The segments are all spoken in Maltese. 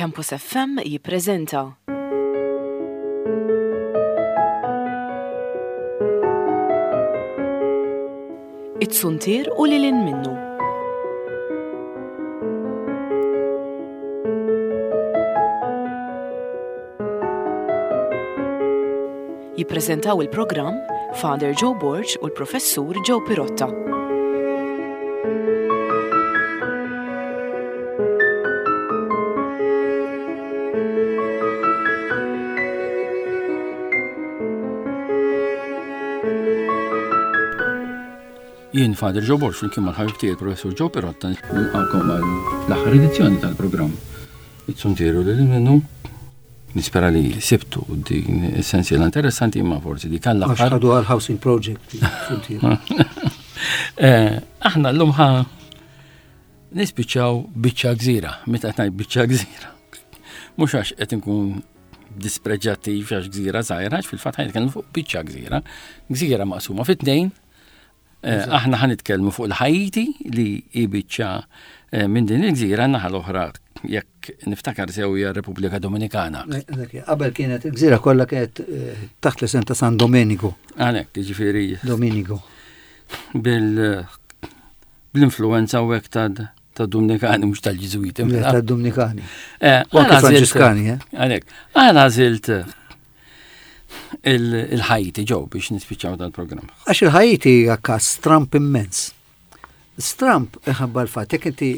Campus FM jippreżenta. It-Suntier u lil hinn minnu. Jippreżentaw il-programm Father Joe Borg u l-Professur Joe Pirotta. Jien Father Joe Borg flimkien mal-ħabib tiegħi Professur Joe Pirotta nilqakom għal l-aħħar edizzjoni tal-programm It-Suntier u lil minnu. Nispera li sibtu din is-sensiela interessanti imma forsi dik għall-aħħar. Għax ħadu għal housing project. Eh, aħna llum ħa nispiċċaw biċċa gżira, meta qed ngħid biċċa gżira. Mhux għax qed inkun dispreġġattiv għax gżira żgħira, għax fil-fatt ħa nitkellmu fuq biċċa gżira. Gżira maqsuma fi tnejn, Eh, aħna ħan nitkellmu fuq il-Ħajti li hi biċċa eh, minn din il-gżira naħa l-oħra jekk niftakar sew hija Repubblika Dominikana. Eh, qabel kienet il-gżira kollha kienet taħt l-isem ta' San Domenico. Għalhekk, jiġifieri. Domenico. Bil bl-influenza u hekk ta' Dominikani mhux tal-Ġiżwiti. Mela. Ta' Dominikani. U anke Franġiskani, eh? Għalhekk, għala għażilt il-Ħajti ġew biex nispiċċaw dal-programm. Għax il-Ħajti hija każ stramp immens. Stramp iħabba l-fatt, jekk inti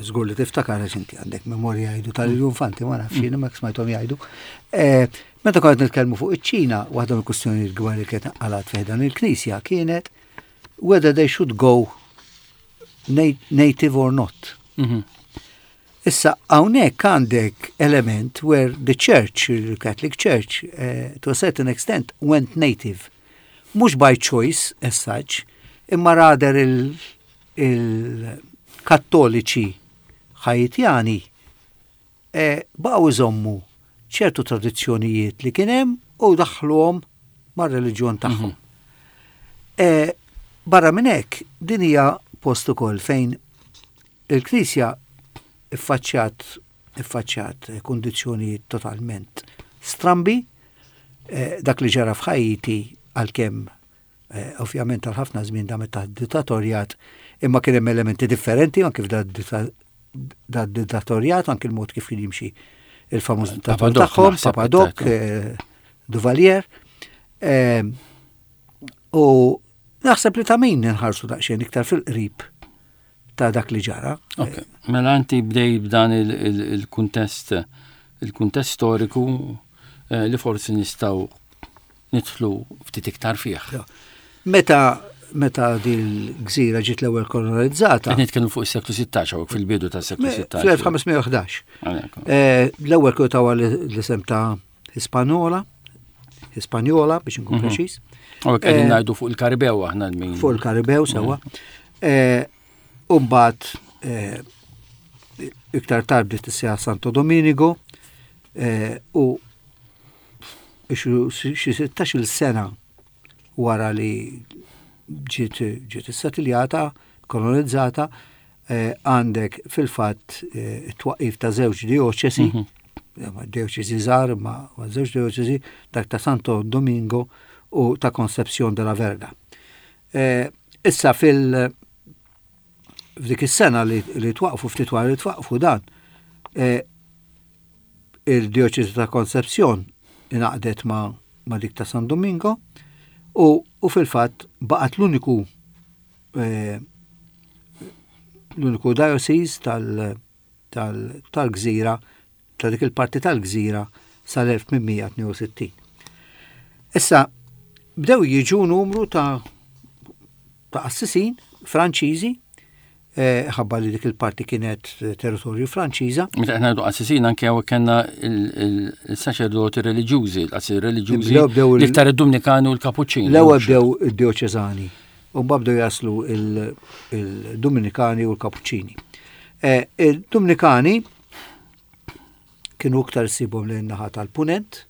żgur li tiftakar għax inti għandek memorja jgħidu tal-infanti ma nafx jien ma smajthom jgħidu. Eh, meta kont nitkellmu fuq iċ-Ċina, waħda mill-kwistjonijiet kbar li kienet qalat fih dan il-Knisja kienet whether they should go native or not. Mhm. Issa hawnhekk għandek element where the church, the Catholic Church, uh, to a certain extent went native. Mhux by choice as such, imma rather il-kattoliċi il Ħajitjani eh, baqgħu iżommu ċertu tradizzjonijiet li kien hemm u daħluhom mar-reliġjon tagħhom. Mm -hmm. eh, barra minn hekk, din hija post ukoll fejn Il-Knisja ffaċċjat iffaċċjat kundizzjonijiet totalment strambi, eh, dak li ġara f'Ħajti għalkemm eh, ovvjament għal ħafna żmien damet taħt dittatorjat, imma kien hemm elementi differenti anke f'da dittatorjat, anke il-mod kif kien jimxi il-famuż dittatur tagħhom, Papa Doc, eh, Duvalier. U naħseb li ta' min nħarsu daqsxejn iktar fil-qrib ta' dak li ġara. Ok, mela inti bdej b'dan il-kuntest il-kuntest storiku eh, li forsi nistgħu nidħlu ftit iktar fih. Meta meta dil-gżira ġiet l-ewwel kolonizzata. Qed nitkellmu fuq is-seklu 16 hawnhekk fil-bidu tas-seklu 16. Fl-1511. Eh, l-ewwel kienu tawa l-isem ta' Hispanola, Hispaniola biex nkun mhm. preċiż. U qegħdin eh, ngħidu fuq il-Karibew aħna min. Fuq il-Karibew sewwa. Mhm. Eh, u mbagħad eh, iktar tard bdiet tissejjaħ Santo Dominigo u xi 16-il sena wara li ġiet ġiet issetiljata, kolonizzata, eh, għandek fil-fatt eh, it-twaqqif ta' żewġ dioċesi, mm -hmm. dioċesi żgħar ma żewġ dioċesi, dak ta' Santo Domingo u ta' Concepcion de la Verga. Eh, issa fil- f'dik is-sena li, li twaqfu ftit wara li twaqfu dan, eh, il-dioċesi ta' Concepcion ingħaqdet ma, ma dik ta' San Domingo u, u fil-fatt baqgħet l-uniku eh, l-uniku diocese tal-gżira ta' dik il-parti tal-gżira sal-1862. Issa, bdew jiġu numru ta' ta' qassisin Franċiżi eh, ħabba li dik il-parti kienet territorju Franċiża. Meta qed ngħidu qassisin anke hawn kellna il-saċerdoti reliġjużi, l-qassisin reliġjużi, l-iktar id-Dumnikani u l-Kapuċċini. L-ewwel bdew id-dioċeżani u mbagħad bdew jaslu il-Dominikani u l-Kapuċċini. Eh, il-Dominikani kienu iktar sibhom lejn naħa tal-punent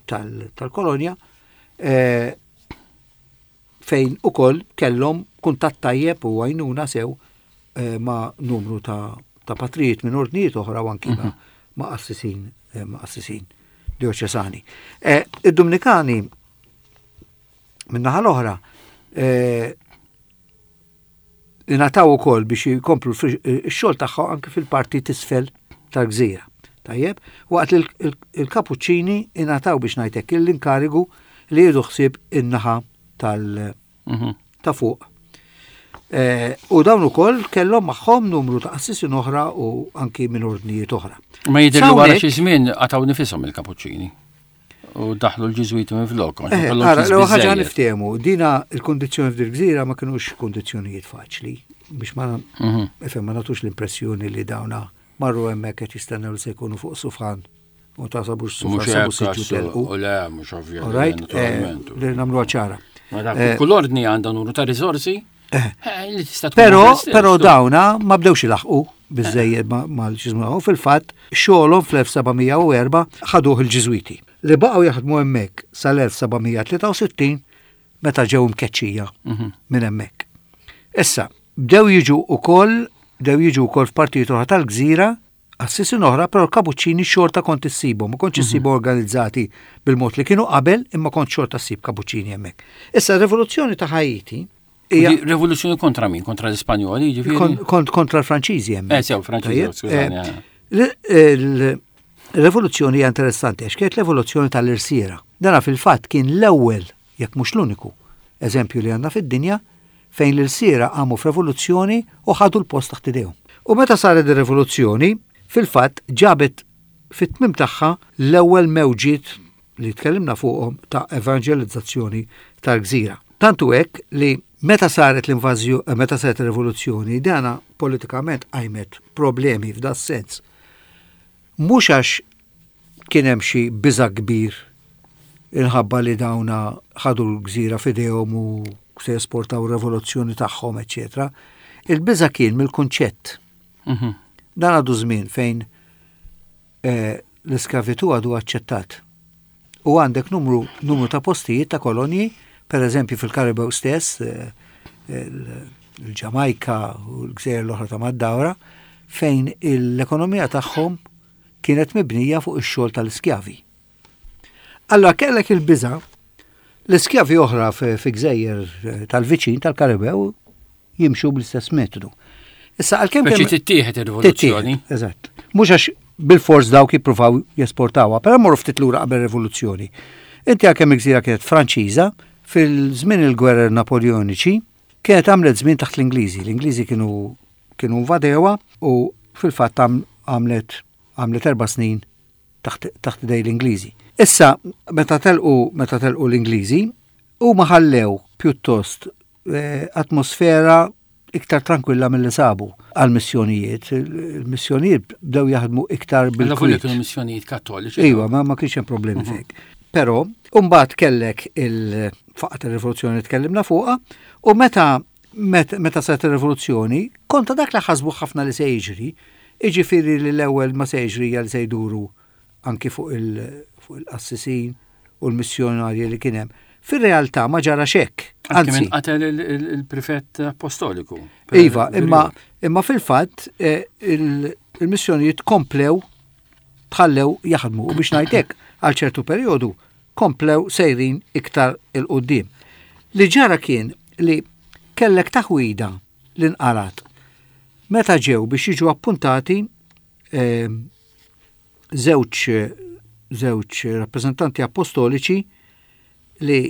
tal-kolonja, eh, fejn ukoll kellhom kuntatt tajjeb u għajnuna sew eh, ma' numru ta' ta' patrijiet minn ordnijiet oħra u anki mhm. ma' qassisin eh, ma' qassisin dioċesani. Eh, Id-Dominikani min-naħa l-oħra eh, ingħataw ukoll biex jkomplu x-xogħol tagħhom anke fil-parti t'isfel tal-gżira. Tajjeb, waqt li l-kapuċċini ingħataw biex ngħidlek l-inkarigu li jieħdu ħsieb in-naħa tal- mhm. ta' fuq. Eh, u dawn ukoll kellhom magħhom numru ta' qassisin oħra u anki minn ordnijiet oħra. Ma jidher li wara xi żmien qatgħu nifisom il-kapuċċini. U daħlu l-ġiżwiti minn flok. Eh, ara, l ħaġa niftehmu, dina il-kondizzjoni f'dil gżira ma kinux kondizzjonijiet faċli biex ma mhm. ifhem ma nagħtux l-impressjoni li dawna marru hemmhekk qed jistennew li se jkunu fuq sufan u ta' sabux sufan sabu siġġu telqu. U le, mhux ovvja. Right, eh, li nagħmlu ċara. Eh, kull ordni għandha numru ta' riżorsi Però, però dawna ma bdewx ilaħqu biżejjed mal-ġiżmu u fil-fatt xogħolhom fl-1704 ħaduh il-Ġiżwiti li baqgħu jaħdmu hemmhekk sal-1763 meta ġew imkeċċija mhm. minn hemmhekk. Issa, bdew jiġu ukoll bdew jiġu wkoll f'partijiet oħra tal-gżira Qassisin oħra, però l-kapuċċini xorta kont issibhom, ma kontx issibhom mhm. organizzati bil-mod li kienu qabel, imma kont xorta ssib kapuċċini hemmhekk. Issa r-rivoluzzjoni ta' Haiti hija Rivoluzzjoni kontra min? Kontra l-Ispanjoli, ġifieri? Kontra l-Franċiżi hemm. Eh, sew, Franċiżi, eh, skużani. Eh. Il-rivoluzzjoni hija interessanti għax kienet l-evoluzzjoni tal-irsiera. Dana fil-fatt kien l-ewwel, jekk mhux l-uniku, eżempju li għandna fid-dinja fejn l-ilsiera qamu f'revoluzzjoni u ħadu l-post taħt idejhom. U meta saret ir-revoluzzjoni, fil-fatt ġabet fit-tmiem tagħha l-ewwel mewġiet li tkellimna fuqhom ta' evanġelizzazzjoni tal-gżira. Tant hu hekk li meta saret l-invażjo meta saret ir-rivoluzzjoni dana politikament qajmet problemi f'das-sens. Mhux għax kien hemm xi biża' kbir inħabba li dawna ħadu l-gżira f'idejhom u se jesportaw ir-revoluzzjoni tagħhom, eċċetera. Il-biża' kien mill-kunċett. Mhm. Dan għadu żmien fejn eh, l-iskavitu għadu aċċettat. U għandek numru, numru ta' postijiet ta' kolonji, per eżempju fil-Karibew stess, eh, il-Ġamajka u l-gżejjer l-oħra ta' mad-dawra, fejn l-ekonomija tagħhom kienet mibnija fuq ix-xogħol tal-iskjavi. Allora kellek il-biża' l-iskjavi oħra fi gżejjer eh, tal-viċin tal-Karibew jimxu bl-istess metodu. Issa għalkemm kemm tittieħed ir-rivoluzzjoni. Eżatt. Mhux għax bil-fors dawk jippruvaw jesportawha, però morru ftit lura qabel rivoluzzjoni. Inti għalkemm il-gżira kienet Franċiża, fil-żmien il-gwerer Napoleoniċi, kienet għamlet żmien taħt l-Ingliżi. L-Ingliżi kienu kienu invadewha u fil-fatt għamlet għamlet erba' snin taħt taħt idej l-Ingliżi. Issa meta telqu meta telqu l-Ingliżi huma ħallew pjuttost eh, atmosfera iktar tranquilla mill-li sabu għal-missjonijiet. Il-missjonijiet bdew jaħdmu iktar bil Alla kienu missjonijiet kattoliċi. Iva, ma, ma kienx hemm problemi mhm. fek. Però, mbagħad kellek il-faqat ir-rivoluzzjoni li tkellimna fuqha, u meta meta saret ir-rivoluzzjoni, konta dak li ħasbu ħafna li se jiġri, jiġifieri li l-ewwel ma se jiġri li se jduru anki fuq il-qassisin u l-missjonarji li kien hemm. Fir-realtà ma ġarax hekk. Anzi, qatel il-prefett apostoliku. Iva, imma imma fil-fatt eh, il-missjonijiet komplew tħallew jaħdmu u biex ngħidlek għal ċertu perjodu komplew sejrin iktar il-qudiem. Li ġara kien li kellek taħwida li nqarat meta ġew biex jiġu appuntati eh, żewġ żewġ rappreżentanti apostoliċi li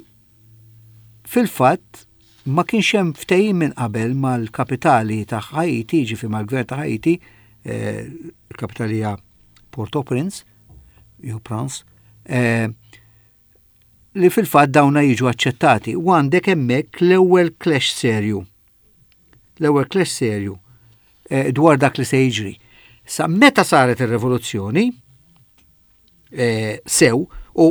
fil-fatt ma kienx hemm ftehim minn qabel mal-kapitali ta' Haiti, ġifi mal-gvern ta' Haiti, eh, il-kapitali hija Port-au-Prince, jew Prince, eh, li fil-fatt dawna jiġu aċċettati. U għandek hemmhekk l-ewwel clash serju. L-ewwel clash serju eh, dwar dak li se jiġri. Sa meta saret ir-rivoluzzjoni eh, sew u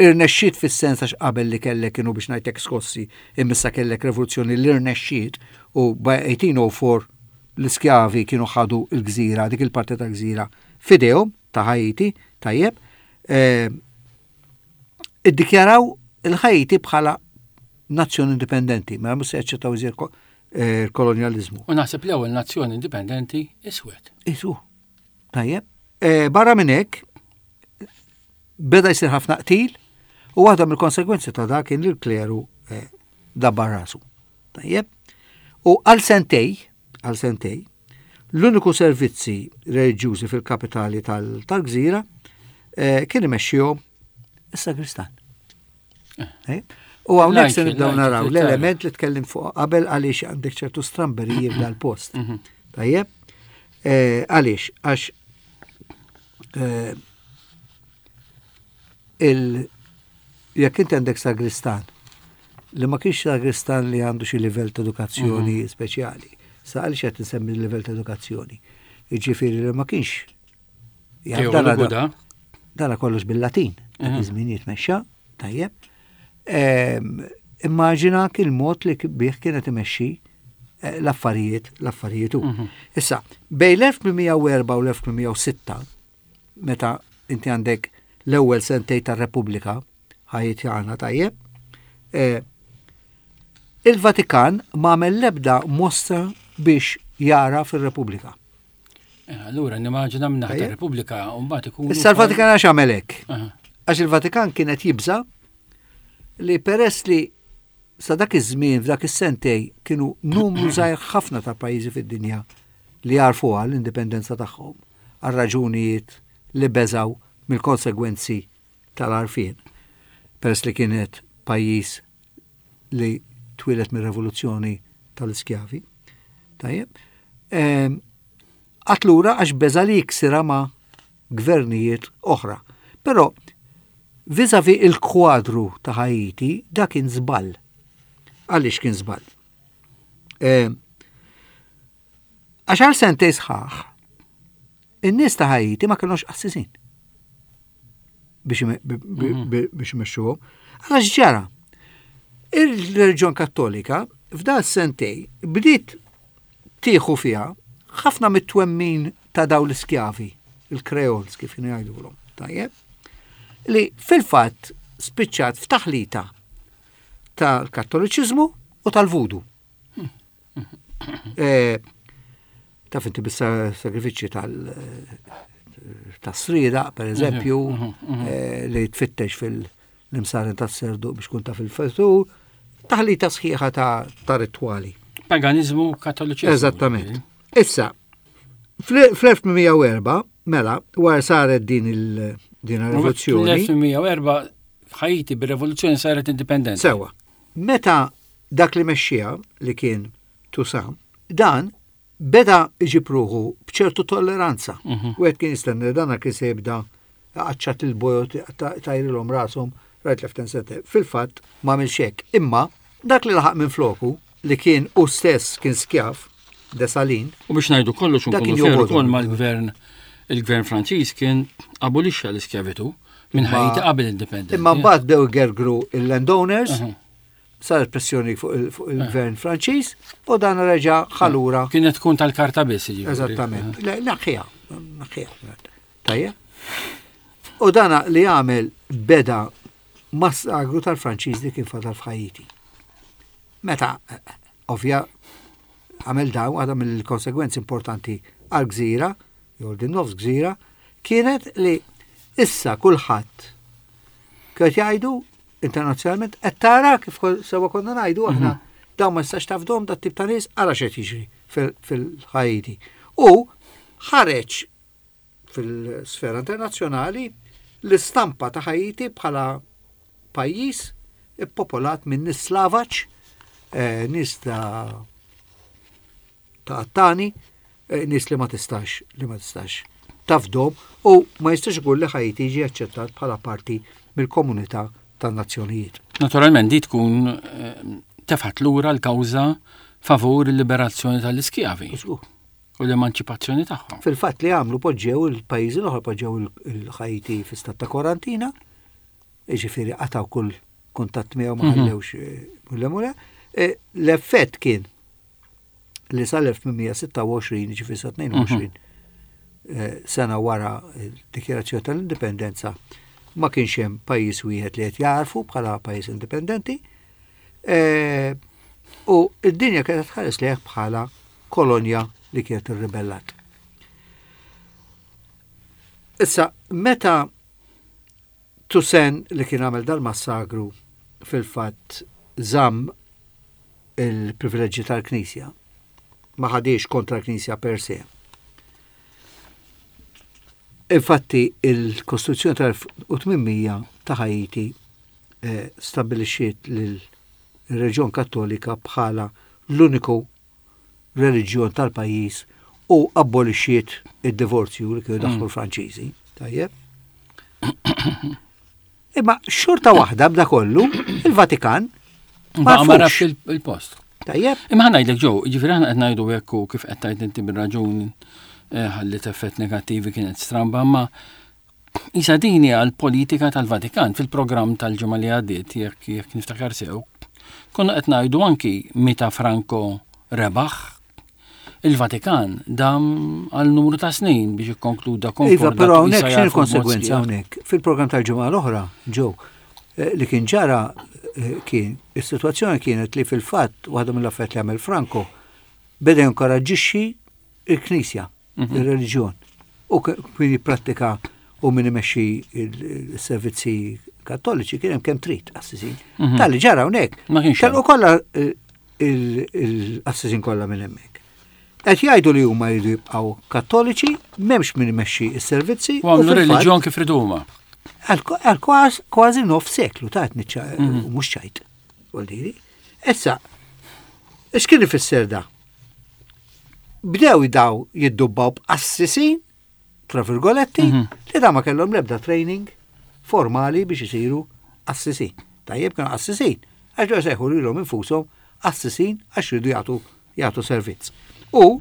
irnexxiet fis-sens għax qabel li kellek kienu biex ngħidlek skossi imissa kellek rivoluzzjoni li rnexxiet u by 1804 l-iskjavi kienu ħadu l-gżira, dik il-parti ta' gżira fidejhom ta' Haiti, tajjeb, eh, iddikjaraw il-Ħajti bħala nazzjoni indipendenti, ma mhux se jaċċettaw iżjed eh, kolonjaliżmu. U naħseb l-ewwel nazzjoni indipendenti iswed. Isu. Tajjeb. Eh, barra minn hekk, beda jsir ħafna qtil u waħda mill-konsegwenzi ta' dak kien li l-kleru eh, dabbar rasu. Tajjeb? U għal sentej, għal sentej, l-uniku servizzi reliġjużi fil-kapitali tal-gżira eh, kien imexxihom is-sagristan. Eh. U hawnhekk se nibdew naraw l-element li tkellim fuq qabel għaliex għandek ċertu stramberiji f'dal-post. Mhm. Tajjeb? Eh, għaliex? Għax eh, il jekk inti għandek sagristan li ma kienx sagristan li għandu xi livell ta' edukazzjoni mhm. speċjali. Sa għaliex qed insemmi l-livell ta' edukazzjoni. Jiġifieri li ma kienx Dana kollox bil-Latin, dak mhm. iż-żmien jitmexxa, tajjeb. Ehm, immaġina il-mod li bih kienet imexxi eh, l-affarijiet, l-affarijiet hu. Mhm. Issa, bej l-1804 u l-1806, meta inti għandek l-ewwel sentej tar-Repubblika, ħajitjana tajjeb, eh, il-Vatikan ma għamel l-ebda mostra biex jara fir-Repubblika. Eh, allura nimmaġina minn naħa Repubblika u mbagħad ikun. Issa l-Vatikan għax għamel hekk. Għax il-Vatikan kienet jibża li peress li sa dak iż-żmien f'dak is-sentej kienu numru żgħir ħafna ta' pajjiżi fid-dinja li jarfuha l-indipendenza tagħhom għal raġunijiet li beżaw mill-konsegwenzi tal-għarfien. Peress li kienet pajjiż li twieled mir-revoluzzjoni tal-iskjavi. Tajjeb. Ehm, Għatlura għax beża li jiksira ma' gvernijiet oħra. Però vizavi il-kwadru ta' Haiti da kien żball. Għaliex kien żball? Ehm, għax għal sentej sħaħ, in-nies ta' Haiti ma kellhomx qassisin mhm. biex imexxuhom. Għala x'ġara? Il-reliġjon Kattolika f'dal sentej bdiet tieħu fiha ħafna mit-twemmin ta' daw l-iskjavi, il-Creoles kif kienu jgħidulhom, tajjeb, li fil-fatt spiċċat f'taħlita tal-Kattoliċiżmu u tal-Vudu. Eh, taf inti bis-sagrifiċċji tal tas-srieda, per eżempju, mhm, mhm, mhm. Eh, li tfittex fil-imsaren tas-serdu biex kun taf il-futur, taħlita sħiħa ta' ritwali. Paganizmu kattoliċiżmu. Eżattament. Issa, fl-1804, mela, wara saret din il-din rivoluzzjoni. Fl-1804 Ħajti bir-revoluzzjoni saret indipendenti. Sewa. Meta dak li mexxiha, li kien Toussaint, dan beda iġib ruħu b'ċertu tolleranza. Mhm. Wieħed kien jistenna li dan kien se jibda qaċċat il-bojot tajrilhom rashom right left and center. Fil-fatt ma għamilx hekk. Imma dak li laħaq minn floku li kien u stess kien skjav Desalin. U biex ngħidu kollox unkunu fair ukoll mal-gvern il-gvern Franċiż kien abolixxa l-iskjavitu minn Ħajti qabel l-indipendenza. Imma mbagħad bdew igergru il-landowners, saret pressjoni fuq il-gvern Franċiż u dan reġa' ħalura. Kienet tkun tal-karta biss, jiġifieri. Eżattament. Naħħiha, naħħiha. Tajjeb. U dana li għamel beda massagru tal-Franċiż li kien fadal f'Ħajti. Meta Ovvja, għamel dawn, waħda mill-konsegwenzi importanti għal gżira, jew din nofs gżira, kienet li issa kulħadd kienet jgħidu internazzjonalment qed tara kif sewa konna ngħidu aħna mhm. dawn ma jistax tafdhom dat tip ta' nies ara x'qed jiġri fil-Ħajti. U ħareġ fil-sfera internazzjonali l-istampa ta' Ħajti bħala pajjiż ippopolat minn nies slavaġ, eh, nies ta' ta' attani, eh, nies li ma tistax li ma tistax tafdom u ma jistax ikun li Ħajti jiġi aċċettat bħala parti mill-komunità tan-nazzjonijiet. Naturalment di tkun eh, tefgħet lura l-kawża favur il-liberazzjoni tal-iskjavi. U l-emanċipazzjoni tagħhom. Fil-fatt li għamlu poġġew il-pajjiżi l-oħra poġġew il-Ħajti fi stat ta' kwarantina, jiġifieri qatgħu kull kuntatt miegħu ma mhm. ħallewx eh, mule. Eh, l-effett kien li sal-1826, ġifieri sa 22 mhm. eh, sena wara d-dikjarazzjoni tal-indipendenza, ma kienx hemm pajjiż wieħed li qed jarfu bħala pajjiż indipendenti. U d-dinja kienet tħares lejh bħala kolonja li kienet irribellat. Issa, meta Toussaint li kien għamel dal-massakru fil-fatt żamm il-privileġġi tal-Knisja, ma ħadiex kontra l-Knisja per se. Infatti, il-Kostituzzjoni tal-1800 ta' Haiti eh, stabbilixxiet lil-Reġjon Kattolika bħala l-uniku reliġjon tal-pajjiż u abbolixxiet id-divorzju li kienu daħlu mm. l-Franċiżi. Tajjeb. Imma xorta waħda b'da kollu, il-Vatikan ma rafx il-post. Tajjeb. Imma ħa ngħidlek ġew, ġifieri aħna qed ngħidu hekk u kif qed tgħid inti bir-raġun eh, ħallit effett negattivi kienet stramba, ma Isa din hija l-politika tal-Vatikan fil-programm tal-ġimgħa li għaddiet jekk jekk niftakar sew. Konna qed ngħidu anki meta Franco rebaħ il-Vatikan dam għal numru ta' snin biex ikkonkluda konkordat. Iva, però hawnhekk x'inhi konsegwenza hawnhekk? Fil-programm tal-ġimgħa l-oħra, ġew, eh, li kien ġara eh, kien is-sitwazzjoni kienet li fil-fatt waħda mill-affarijiet li għamel Franco beda jinkoraġġixxi il-Knisja. mhm. ir-reliġjon. U kien jipprattika u min imexxi il-servizzi kattoliċi kien hemm kemm trid qassisin. Mhm. Tal-li ġara hawnhekk. Telqu kollha eh, il-qassisin kollha minn hemmhekk. Qed jgħidu li huma jridu jibqgħu kattoliċi, m'hemmx min imexxi s-servizzi. U għamlu reliġjon kif ridu huma. Għal kważi nof seklu ta' mhm. mhux ċajt. Issa, x'kien ifisser da? Bdew daw jiddubbaw b'qassisin, tra virgoletti, mhm. li da ma kellhom l-ebda training formali biex isiru qassisin. Tajjeb kienu qassisin, għax ġew sejħu lilhom infushom qassisin għax ridu jagħtu jagħtu servizz. U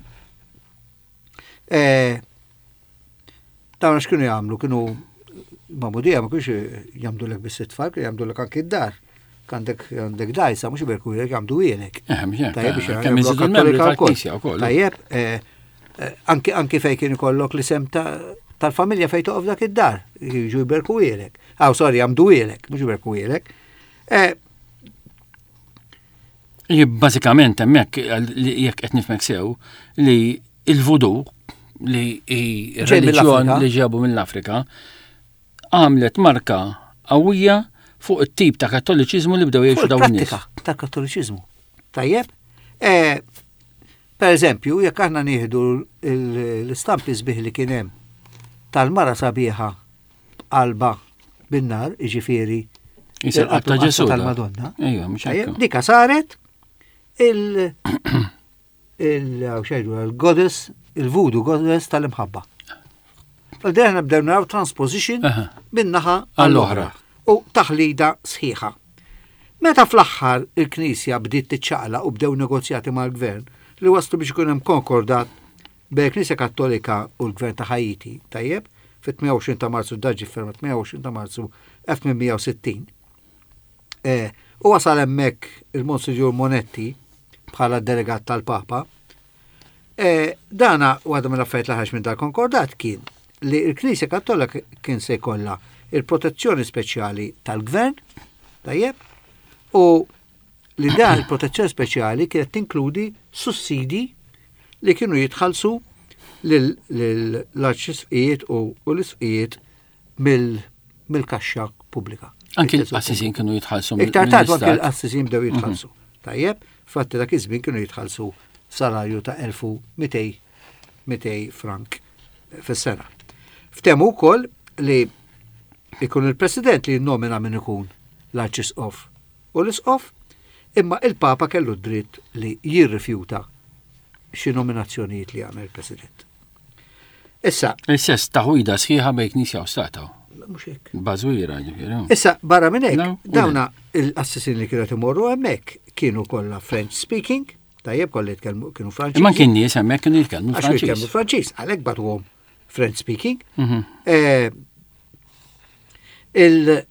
eh, Dawn għax kienu jagħmlu, kienu magħmudija ma kienx jagħmdulek biss it-tfal, kienu jagħmdulek anki d-dar. Għandek għandek dajsa, mhux iberkulek jagħmdu ilek. Eh, Tajjeb biex jagħmlu Kattolika wkoll. Tajjeb, eh, eh, anki anki fejn kien ikollok l-isem tal-familja fejn toqgħod dak id-dar, jiġu jberku ilek. Aw, sorry, jagħmdu ilek, mhux jberku ilek. Bażikament hemmhekk jekk qed nifhmek sew li il-vudu li hi reliġjon li ġabu mill-Afrika għamlet marka qawwija fuq it-tip ta' kattoliċiżmu li bdew jgħixu dawn nies. Ta' kattoliċiżmu. Tajjeb? E, per eżempju, jekk aħna nieħdu l-istampi sbieħ li kien hemm tal-mara sabiħa b'qalba bin-nar, jiġifieri il-qalb ta' Ġesù tal-Madonna. Dika saret il il-goddess, il-voodoo goddess tal-imħabba. Fal-deħna bdew naraw transposition min-naħa għall-oħra u taħlida sħiħa. Meta fl-aħħar il-Knisja bdiet tiċċaqla u bdew negozjati mal-gvern li waslu biex ikun hemm konkordat bejn il-Knisja Kattolika u l-Gvern ta' Haiti, tajjeb, fit-28 ta' Marzu dan ġie ffirmat 28 ta' Marzu 1860. E, u wasal hemmhekk il-Monsinjur Monetti bħala delegat tal-Papa. E, dana waħda mill-affarijiet li ħareġ minn dal-konkordat kien li l-Knisja Kattolika kien se jkollha il-protezzjoni speċjali tal-gvern, tajjeb, u li dan il-protezzjoni speċjali kienet tinkludi sussidi li kienu jitħallsu l-arċisqfijiet u l-isqfijiet mill-kaxxa pubblika. Anki l-qassisin kienu jitħallsu. Iktar tard anki l-qassisin bdew mhm. jitħallsu. Tajjeb, fatti dak iż-żmien kienu jitħallsu salarju ta' 1200 frank fis-sena. Ftehmu wkoll li ikun il-President li jinnomina min ikun l-Arċisqof u l-Isqof, imma il-Papa kellu d-dritt li jirrifjuta xi nominazzjonijiet li jagħmel il-President. Issa. L-istess taħwida sħiħa bejn Knisja u Stata. Mhux hekk. Bażwira ġifieri. Issa barra minn hekk, dawna il-qassisin li kienu imorru hemmhekk kienu kollha French speaking, tajjeb kollha jitkellmu kienu Franċiż. Imma kien nies hemmhekk kienu jitkellmu Franċiż. Jitkellmu Franċiż, għalhekk bagħtuhom French speaking. Mhm. Eh, il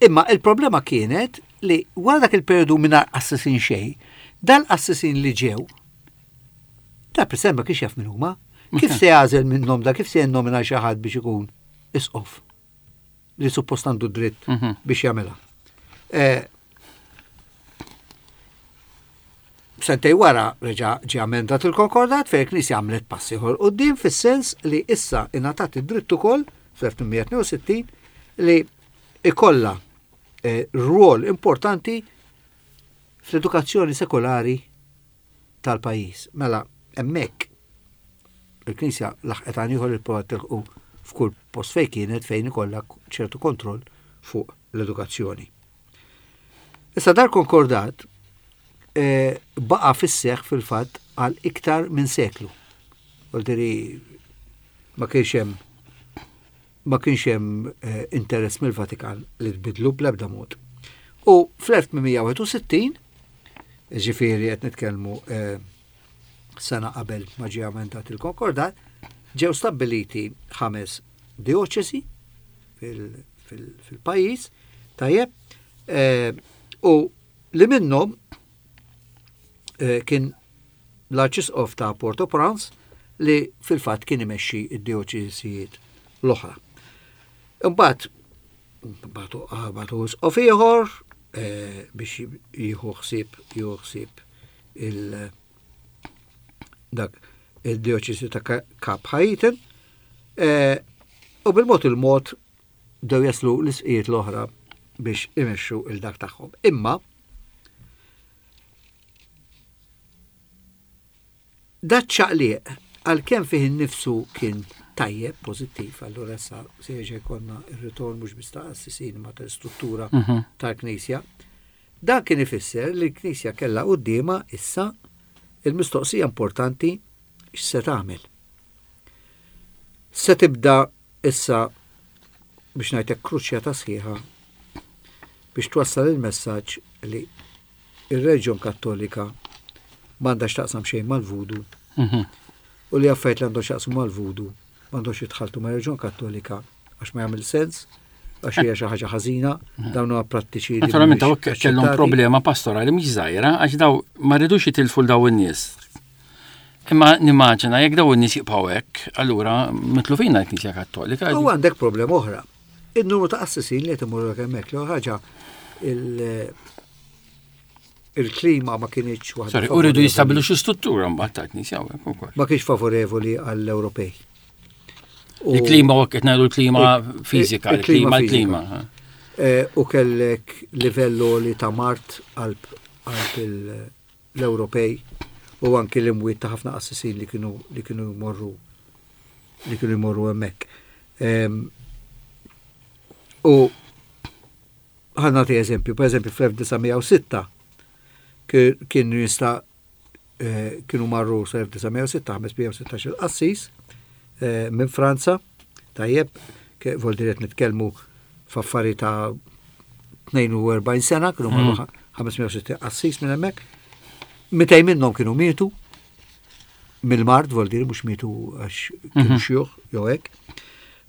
Imma il-problema kienet li wara dak il-periodu mingħajr qassisin xejn, dal-qassisin li ġew, da President ma kienx jaf min huma. Kif se jagħżel minnhom da, kif se jinnomina xi ħadd biex ikun isqof li suppost għandu dritt mhm. biex jagħmilha. Eh, Sentej wara reġa' ġie amendat il-Konkordat fejn il-Knisja għamlet pass ieħor quddiem fis-sens li issa ingħatat id-dritt ukoll fl-1862 li ikollha eh, rwol importanti fl-edukazzjoni sekolari tal-pajjiż. Mela hemmhekk il-Knisja laħqet għan ieħor li provat tilħqu f'kull post fejn kienet fejn ikollha ċertu kontroll fuq l-edukazzjoni. Issa dar konkordat eh, baqa fis-seħ fil-fatt għal iktar minn seklu. Voldiri ma kienx hemm ma kienx hemm eh, interess mill-Vatikan li tbidlu bl-ebda mod. U fl-1861, ġifieri qed nitkellmu eh, sena qabel ma ġie amendat il-konkordat, ġew stabbiliti ħames dioċesi fil-pajjiż, tajjeb, eh, u li minnhom eh, kien l-Arċisqof ta' Port-au-Prince li fil-fatt kien imexxi id-dioċesijiet l-oħra. Imbagħad bagħtu bagħtu isqof ieħor eh, biex jieħu ħsieb jieħu ħsieb il dak il-dioċesi ta' Kap Haiten eh, u bil-mod il-mod bdew jaslu l-isqijiet l-oħra biex imexxu il-dak tagħhom. Imma Dat-ċaqliq, għalkemm fih innifsu kien tajjeb, pożittiv, allura issa se jerġa' jkollna r-ritorn mhux biss ta' qassisin imma tal-istruttura mhm. tal-Knisja. Dan kien ifisser li l-Knisja kellha quddiemha issa il-mistoqsija importanti x'se tagħmel. Se tibda issa biex ngħidlek kruċjata sħiħa biex twassal il-messaġġ li ir-reliġjon Kattolika m'għandha x'taqsam xejn mal-vudu mhm. u li affarijiet li għandhom x'jaqsmu mal-vudu m'għandhomx jitħaltu mar-reliġjon Kattolika għax ma jagħmel sens għax hija xi ħaġa ħażina, mhm. dawn huwa prattiċi. Naturalment daw kellhom problema pastorali mhix żgħira għax daw ma rridux jitilfu daw in-nies. Imma nimmaġina jekk daw in-nies jibqgħu hekk, allura mitlufina l-Knisja Kattolika. U għandek problema oħra. Il-numru ta' qassisin li qed imorru hemmhekk l ħaġa il-klima ma kienx waħda. Sorry, u rridu jistabilu xi struttura mbagħad ta' knisja ukoll. Ma kienx favorevoli għall-Ewropej. Il-klima u qed ngħidu l-klima fiżika, il-klima l-klima. Eh, u kellek livello li ta' mart qalb l-Ewropej u anki l-imwiet ta' ħafna qassisin li kienu li kienu jmorru li kienu jmorru hemmhekk. Ehm, u ħa nagħti eżempju, per eżempju fl-1906 kien jista' eh, kienu marru sal-1906 516 il-qassis eh, minn Franza, tajjeb, vol qed nitkellmu f'affari ta' 42 sena, kienu marru 560 mm. qassis minn hemmhekk. 200 minnhom kienu mietu mill-mard, vol dir mhux mietu għax kienu mhm. xjuħ jew hekk.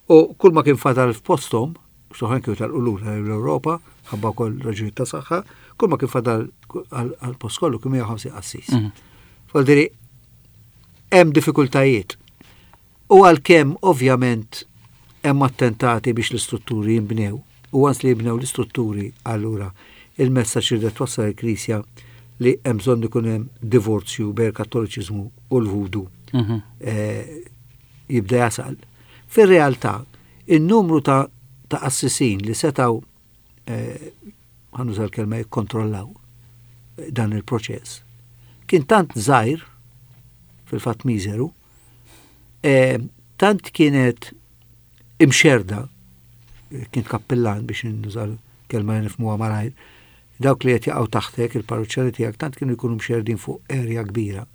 U kull ma kien fadal f'posthom, soħan kienu tal-qulura l-Ewropa, ħabba wkoll raġunijiet ta' saħħa, kull ma kien fadal għal-post kollu kien 150 qassis. Mhm. Vol diri hemm diffikultajiet. U għalkemm ovvjament hemm attentati biex l-istrutturi jinbnew, u once li jibnew l-istrutturi allura il-messaġġ li twassal il-Knisja li hemm bżonn ikun hemm divorzju bejn il-Kattoliċiżmu u l-Vudu mhm. eh, jibda jasal. Fir-realtà, in-numru ta' ta' qassisin li setaw eh, ħanuża l-kelma jikkontrollaw eh, dan il-proċess kien tant żgħir fil-fatt miżeru, eh, tant kienet imxerda, kien kappillan biex nuża l-kelma li nifhmuha malajr, dawk li qed jaqgħu taħtek il-parruċċani tiegħek tant kienu jkunu mxerdin fuq erja kbira.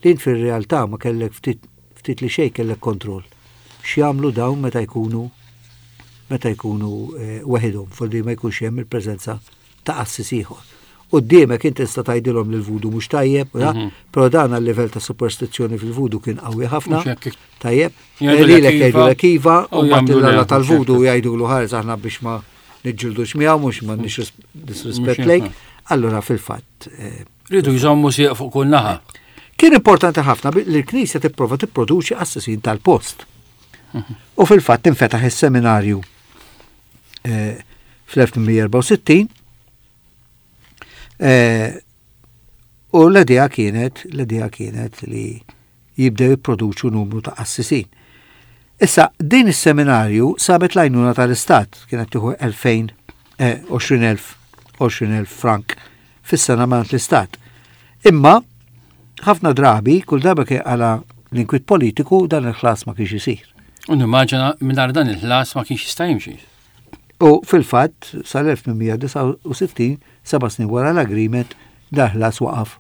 Li int fir-realtà ma kellek ftit ftit li xejn kellek kontroll. X'jagħmlu dawn meta jkunu meta jkunu eh, weħidhom, foldi ma jkunx hemm il-preżenza ta' qassis ieħor. Quddiemek inti tista' tgħidilhom li l-vudu mhux tajjeb, mhm. però dan għal-livell ta' superstizzjoni fil-vudu kien qawwi ħafna. Tajjeb. Lilek jgħidulek iva, u mbagħad il-alla tal-vudu jgħidulu ħares aħna biex ma niġġildux miegħu mhux ma nix disrispett lejk. Allura fil-fatt. Eh, Ridu jżommu sieq fuq kull naħa. Kien importanti ħafna li l-Knisja tipprova tipproduċi qassisin tal-post. Mhm. U fil-fatt infetaħ is-seminarju eh, fl-1864 eh, U l-idea kienet, l-idea kienet li jibdew jipproduċu numru ta' qassisin. Issa, din is-seminarju sabet l-għajnuna tal-Istat, kienet tieħu 20,000, 20,000, 20,000 frank fis-sena mingħand l-Istat. Imma, ħafna drabi, kull darba kien għala l-inkwiet politiku, dan il-ħlas ma kienx isir. U nimmaġina mingħajr dan il-ħlas ma kienx jista' jimxi. U fil-fatt, sal-1869, seba' snin wara l-agreement, dan ħlas waqaf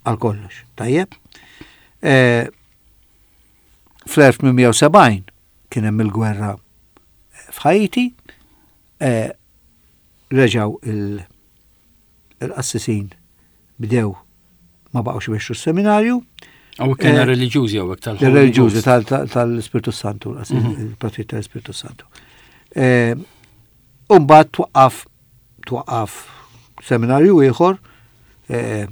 għal kollox. Tajjeb? Eh, fl-1870 kien hemm il-gwerra f'Ħajti, eh, reġgħu il-qassisin bdew ma baqgħux imexxu s-seminarju. Għaw kena eh, reliġjużi għaw tal Reliġjużi tal-Ispirtu Santu, mhm. il-Partit tal-Ispirtu Santu. Eh, Umbat twaqqaf twaqqaf seminarju ieħor eh,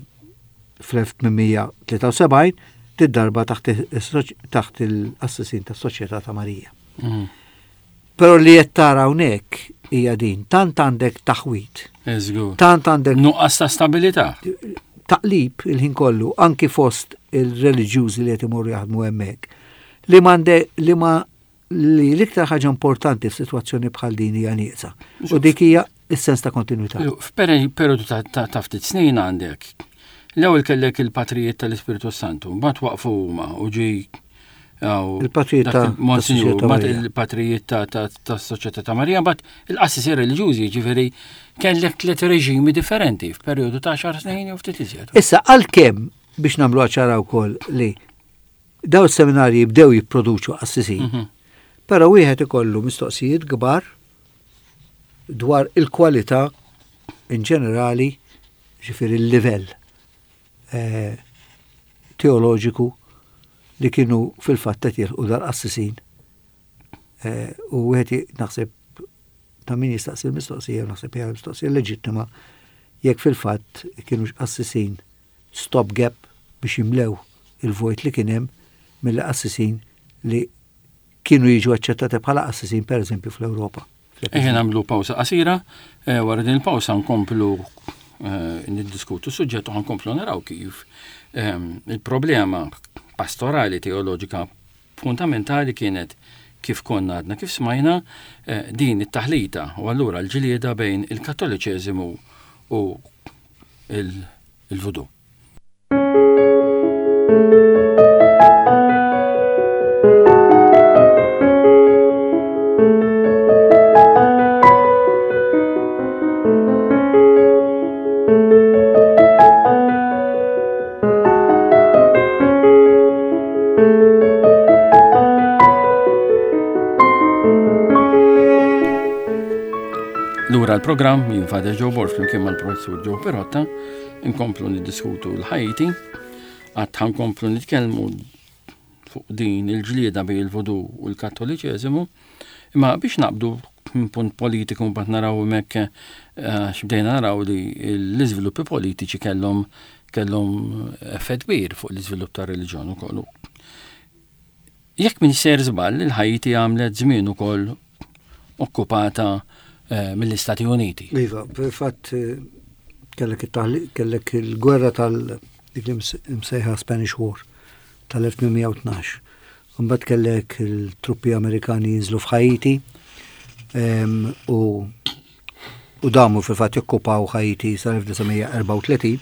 fl-1873 tid-darba taħt il-assassin tas-Soċjetà ta' Marija. Mhm. Però li qed tara hawnhekk hija din, tant għandek taħwid. Tant għandek nuqqas ta' stabilità. Taqlib il-ħin kollu anki fost il-reliġjużi li qed imorru jaħdmu hemmhekk. Li m'għande li ma li l-iktar ħaġa importanti f'sitwazzjoni bħal din hija nieqsa. U dik hija s-sens ta' kontinuità. F'perjodu ta' ftit snin għandek. L-ewwel kellek il-patrijiet tal-Ispirtu Santu, mbagħad waqfu huma u ġi Il-patrijiet ta' Monsignor, mbagħad il-patrijiet ta' Soċjetà ta' Marija, mbagħad il-qassisin reliġjużi, ġifieri kellek tliet reġimi differenti f'perjodu ta' xar snin jew ftit iżjed. Issa għalkemm biex nagħmlu ċara wkoll li daw is-seminarji bdew jipproduċu qassisin, mhm. però wieħed ikollu mistoqsijiet kbar dwar il-kwalità in ġenerali, ġifieri l-livell eh, teoloġiku li kienu fil-fatt qed jilħqu dal-qassisin. Eh, u wieħed naħseb ta' min jistaqsi l-mistoqsija, naħseb hija mistoqsija leġittima jekk fil-fatt kienu qassisin stop gap biex jimlew il-vojt li kien hemm mill-qassisin li kienu jiġu aċċettati bħala qassisin pereżempju fl-Ewropa. Ejja nagħmlu pawsa qasira, eh, wara din il-pawsa nkomplu eh, niddiskutu suġġett u nkomplu naraw kif ehm, il-problema pastorali teoloġika fundamentali kienet kif konna għadna kif smajna eh, din it-taħlita u allura l-ġlieda bejn il-Kattoliċeżimu u il-Vudu. Lura l-programm jien Father Joe Borg flimkien mal-Professur Joe Perotta Inkomplu niddiskutu l-Ħajti, għad ħankomplu nitkellmu fuq din il-ġlieda bejn il-Vudu u l-Kattoliċeżimu, imma biex naqbdu minn punt politiku mbagħad naraw hemmhekk eh, x'bdejna naraw li l-iżviluppi politiċi kellhom kellhom effett kbir fuq l-iżvilupp tar-reliġjon ukoll. Jekk minn ser żball, il-Ħajti għamlet żmien ukoll okkupata eh, mill-Istati Uniti. Iva, fil-fatt eh, kellek kellek il-gwerra tal dik li msejħa Spanish War tal-1812. Mbagħad kellek il-truppi Amerikani jinżlu f'Ħajti u u damu fil-fatt jokkupaw Ħajti sal-1934.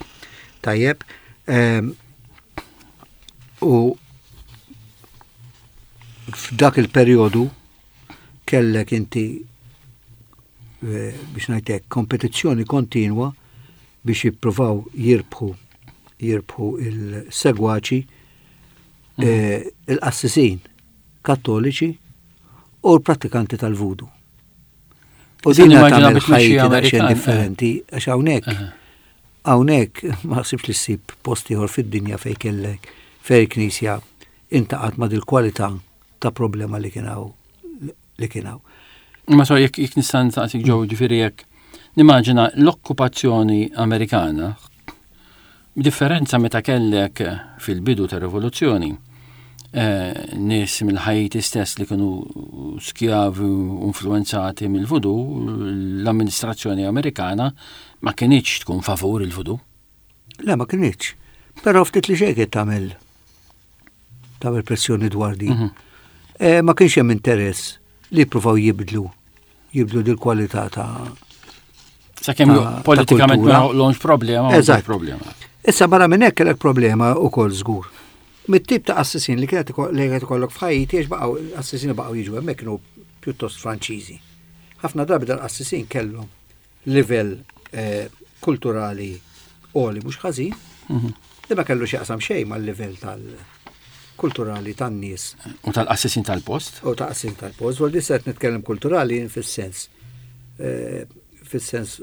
Tajjeb. U f'dak il-perjodu kellek inti eh, biex ngħidlek kompetizzjoni kontinwa biex jippruvaw jirbħu jirbħu il-segwaċi mm. eh, il-qassisin kattoliċi u l-prattikanti tal-vudu. U din tagħmel ħajti daqsxejn eh. differenti għax hawnhekk hawnhekk ma ħsibx li ssib post ieħor fid-dinja fejn kellek fejn il-Knisja intaqat ma' dil-kwalità ta' problema li kien hawn li kien hawn. Ma so jekk jekk nista' nsaqsik ġew ġifieri jekk nimmaġina l-okkupazzjoni Amerikana B'differenza meta kellek fil-bidu tar-rivoluzzjoni eh, nies mill-Ħajti stess li kienu skjavi u influenzati mill-vudu, l-amministrazzjoni Amerikana ma kinitx tkun favur il-vudu. Le, ma kinitx. Però ftit li xejn kien tagħmel tagħmel pressjoni dwar din. Mhm. Eh, ma kienx hemm interess li jippruvaw jibdlu jibdlu dil kwalità ta' Sakemm politikament ma joħloqx problema, Eżatt. problema. Issa barra minn hekk kellek problema wkoll żgur. Mit-tip ta' assisin li kienet li kienet ikollok f'Ħajti għax baqgħu assisini baqgħu jiġu hemmhekk kienu pjuttost Franċiżi. Ħafna drabi dal-qassisin kellhom livell eh, kulturali għoli mhux ħażin, mhm. li ma kellu x'jaqsam xejn mal-livell tal-kulturali tan-nies. U tal-qassisin tal-post? U tal-qassisin tal-post, vol dissa qed nitkellem kulturali fis-sens eh, fis-sens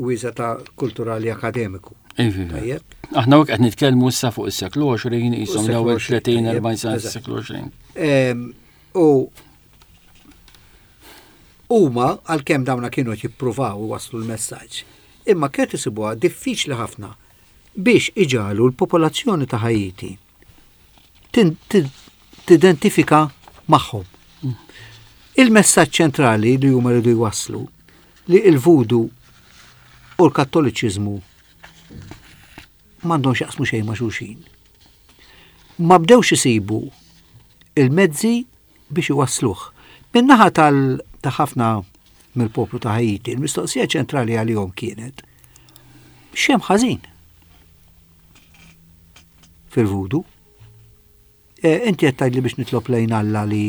wiesa ta' kulturali akademiku. Iva, iva. Aħna qed nitkellmu issa fuq is-seklu 20, qishom l-ewwel 30 40 sena s-seklu 20. Ehm, u Huma, għalkemm dawna kienu qed jippruvaw iwasslu l-messaġġ, imma kienet isibuha diffiċli ħafna biex iġagħlu l-popolazzjoni ta' Ħaiti tidentifika magħhom. Il-messaġġ ċentrali li huma rridu jwasslu li l-vudu u l-Kattoliċiżmu m'għandhom x'jaqsmu xejn ma' xulxin. Ma bdewx isibu il-mezzi biex iwassluh. Min-naħa tal ta' ħafna mill-poplu ta' Haiti, il-mistoqsija ċentrali għalihom kienet x'hemm ħażin fil-vudu. E, inti qed tgħidli biex nitlob lejn Alla li